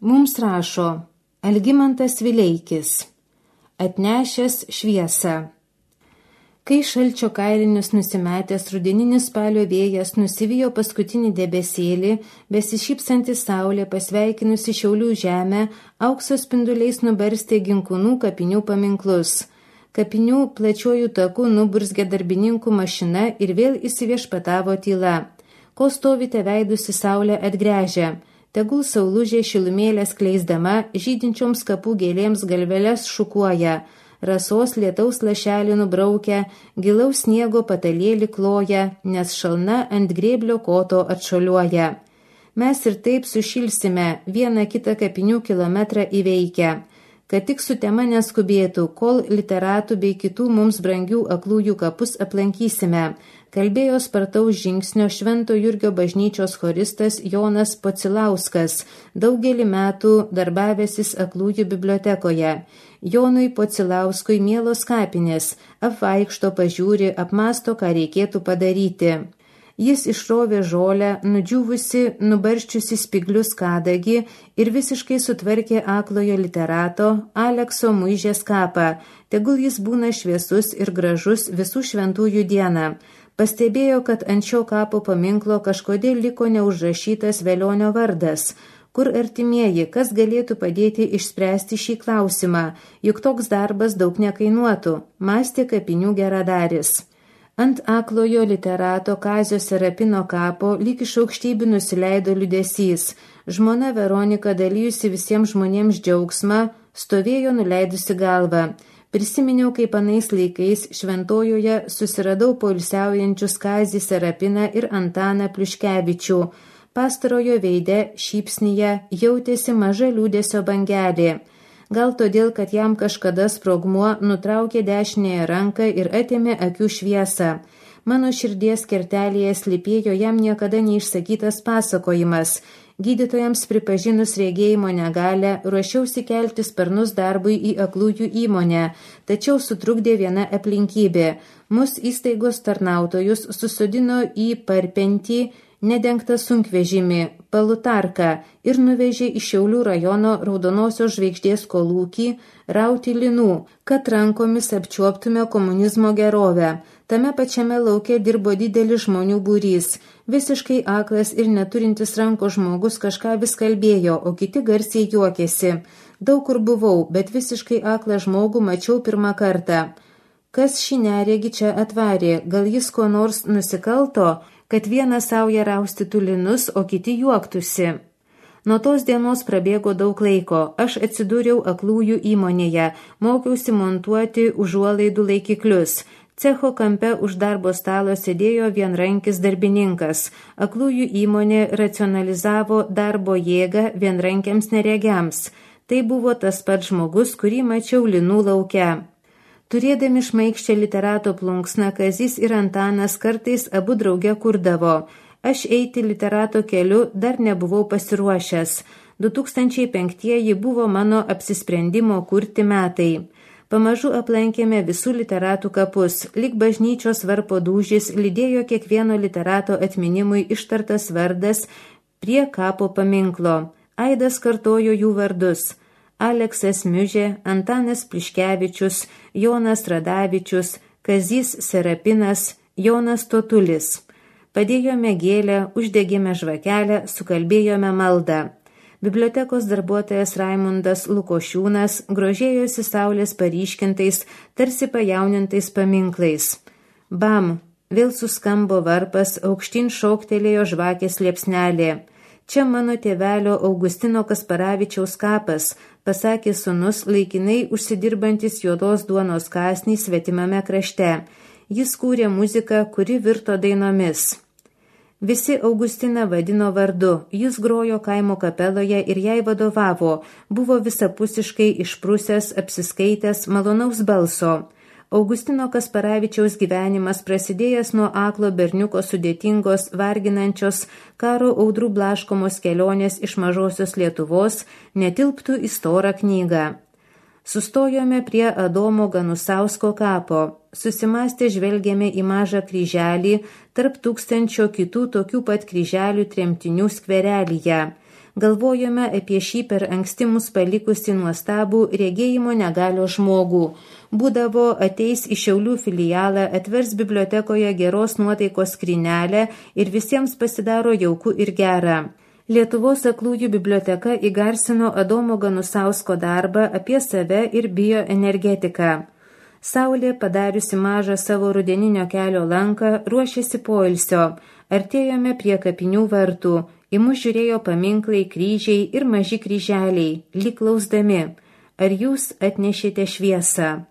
Mums rašo Algimantas Vileikis, atnešęs šviesą. Kai šalčio kailinius nusimetęs rudeninis spalio vėjas nusivijo paskutinį debesėlį, besišypsanti saulė pasveikinusi Šiaulių žemę, aukso spinduliais nubarstė Ginkūnų kapinių paminklus. Kapinių plačiuoju taku nuburzgė darbininkų mašina ir vėl įsiviešpatavo tyla. Ko stovite veidus į saulę atgręžę? Tegul saulužė šilumėlės kleisdama, žydinčioms kapų gėlėms galveles šukuoja. Rasos lietaus lašelį nubraukia, gilaus sniego patalėlį kloja, nes šalna ant grėblio koto atšoliuoja. Mes ir taip sušilsime, vieną kitą kapinių kilometrą įveikę, kad tik su tema neskubėtų, kol literatų bei kitų mums brangių aklųjų kapus aplankysime, kalbėjo spartaus žingsnio Švento Jurgio bažnyčios choristas Jonas Pocilauskas, daugelį metų darbavęsis aklųjų bibliotekoje. Jonui Pocilauskui mielos kapinės, apvaikšto, pažiūri, apmasto, ką reikėtų padaryti. Jis išrovė žolę, nudžiūvusi, nubarščiusi spiglius kadagį ir visiškai sutvarkė aklojo literato Alekso Muižės kapą, tegul jis būna šviesus ir gražus visų šventųjų dieną. Pastebėjo, kad ant šio kapo paminklo kažkodėl liko neužrašytas Velionio vardas. Kur artimieji, kas galėtų padėti išspręsti šį klausimą, juk toks darbas daug nekainuotų, mąstė kapinių geradaris. Ant aklojo literato Kazio Serapino kapo lyg iš aukštybių nusileido liūdesys. Žmona Veronika, dalijusi visiems žmonėms džiaugsmą, stovėjo nuleidusi galvą. Prisiminiau, kaip anais laikais Šventojoje susiradau poilsiaujančius Kazį Serapiną ir Antaną Pliuškevičių. Pastarojo veide šypsnyje jautėsi maža liūdesio bangelė. Gal todėl, kad jam kažkada sprogmuo nutraukė dešinėje ranką ir atėmė akių šviesą. Mano širdies kertelėje slypėjo jam niekada neišsakytas pasakojimas. Gydytojams pripažinus regėjimo negalę, ruošiausi kelti sparnus darbui į aklųjų įmonę, tačiau sutrukdė viena aplinkybė. Mus įstaigos tarnautojus susodino į parpentį nedengtą sunkvežimį, Palutarką ir nuvežė į Šiaulių rajono Raudonosios žvaigždės kolūkį rauti linų, kad rankomis apčiuoptume komunizmo gerovę. Tame pačiame lauke dirbo didelis žmonių būrys. Visiškai aklas ir neturintis ranko žmogus kažką vis kalbėjo, o kiti garsiai juokėsi. Daug kur buvau, bet visiškai aklą žmogų mačiau pirmą kartą. Kas šį neregį čia atvarė? Gal jis ko nors nusikalto, kad vienas sauja raustytų linus, o kiti juoktųsi? Nuo tos dienos prabėgo daug laiko. Aš atsidūriau aklųjų įmonėje, mokiausi montuoti užuolaidų laikiklius. Cecho kampe už darbo stalo sėdėjo vienrankis darbininkas. Aklųjų įmonė racionalizavo darbo jėgą vienrankiams neregiams. Tai buvo tas pats žmogus, kurį mačiau linų lauke. Turėdami šmaikščią literato plunksną, Kazys ir Antanas kartais abu drauge kurdavo. Aš eiti literato keliu dar nebuvau pasiruošęs. 2005 buvo mano apsisprendimo kurti metai. Pamažu aplankėme visų literatų kapus. Lyg bažnyčios varpo dūžis lydėjo kiekvieno literato atminimui ištartas vardas prie kapo paminklo. Aidas kartojo jų vardus. Aleksas Miužė, Antanas Pliuškevičius, Jonas Radavičius, Kazys Serapinas, Jonas Totulis. Padėjome gėlę, uždegėme žvakelę, sukalbėjome maldą. Bibliotekos darbuotojas Raimundas Lukošiūnas grožėjosi saulės paryškintais, tarsi pajaunintais paminklais. Bam! Vėl suskambo varpas, aukštyn šoktelėjo žvakės liepsnelė. Čia mano tėvelio Augustino Kasparavičiaus kapas, pasakė sūnus laikinai užsidirbantis juodos duonos kąsnį svetimame krašte. Jis kūrė muziką, kuri virto dainomis. Visi Augustiną vadino vardu, jis grojo kaimo kapeloje ir jai vadovavo, buvo visapusiškai išprusęs, apsiskaitęs, malonaus balso. Augustino Kasparavičiaus gyvenimas prasidėjęs nuo aklo berniuko sudėtingos, varginančios, karo audrų blaškomos kelionės iš mažosios Lietuvos netilptų į storą knygą. Sustojome prie Adomo Ganusausko kapo. Susimąstę žvelgėme į mažą kryželį tarp 1000 kitų tokių pat kryželių tremtinių skverelyje. Galvojame apie šį per anksti mus palikusi nuostabų regėjimo negalio žmogų. Būdavo ateis į Šiaulių filialą, atvers bibliotekoje geros nuotaikos skrynelę ir visiems pasidaro jauku ir gera. Lietuvos aklųjų biblioteka įgarsino Adomo Ganusausko darbą apie save ir bioenergetiką. Saulė, padariusi mažą savo rudeninio kelio lanką, ruošėsi poilsio. Artėjome prie kapinių vartų. Į mus žiūrėjo paminklai, kryžiai ir maži kryželiai, lyg klausdami. Ar jūs atnešėte šviesą?